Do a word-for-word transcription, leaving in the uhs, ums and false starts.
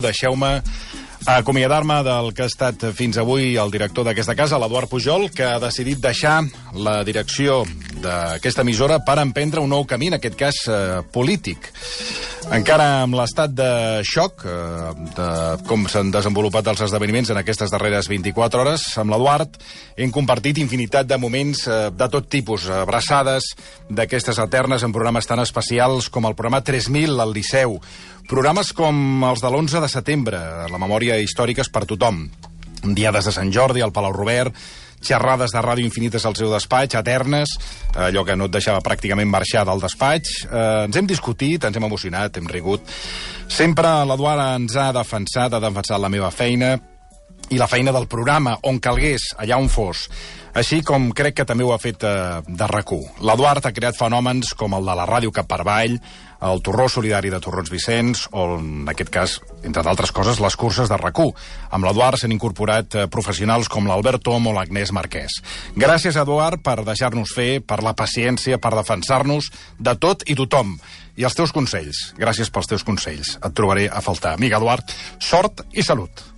Deixeu-me acomiadar-me del que ha estat fins avui el director d'aquesta casa, l'Eduard Pujol, que ha decidit deixar la direcció d'aquesta emissora per emprendre un nou camí, en aquest cas eh, polític. Encara amb l'estat de xoc eh, de com s'han desenvolupat els esdeveniments en aquestes darreres vint-i-quatre hores, amb l'Eduard hem compartit infinitat de moments eh, de tot tipus, abraçades d'aquestes eternes en programes tan especials com el programa tres mil al Liceu, programes com els de l'onze de setembre, la memòria històrica és per tothom, diades de Sant Jordi al Palau Robert, xerrades de ràdio infinites al seu despatx, eternes, allò que no et deixava pràcticament marxar del despatx. Eh, ens hem discutit, ens hem emocionat, hem rigut. Sempre l'Eduard ens ha defensat, ha defensat la meva feina i la feina del programa, on calgués, allà on fos. Així com crec que també ho ha fet eh, de RAC u. L'Eduard ha creat fenòmens com el de la ràdio Cap per Avall, el Torró Solidari de Torrons Vicenç, o en aquest cas, entre d'altres coses, les curses de RAC u. Amb l'Eduard s'han incorporat eh, professionals com l'Albert Tom o l'Agnès Marquès. Gràcies, Eduard, per deixar-nos fer, per la paciència, per defensar-nos de tot i tothom. I els teus consells. Gràcies pels teus consells. Et trobaré a faltar. Amic Eduard, sort i salut.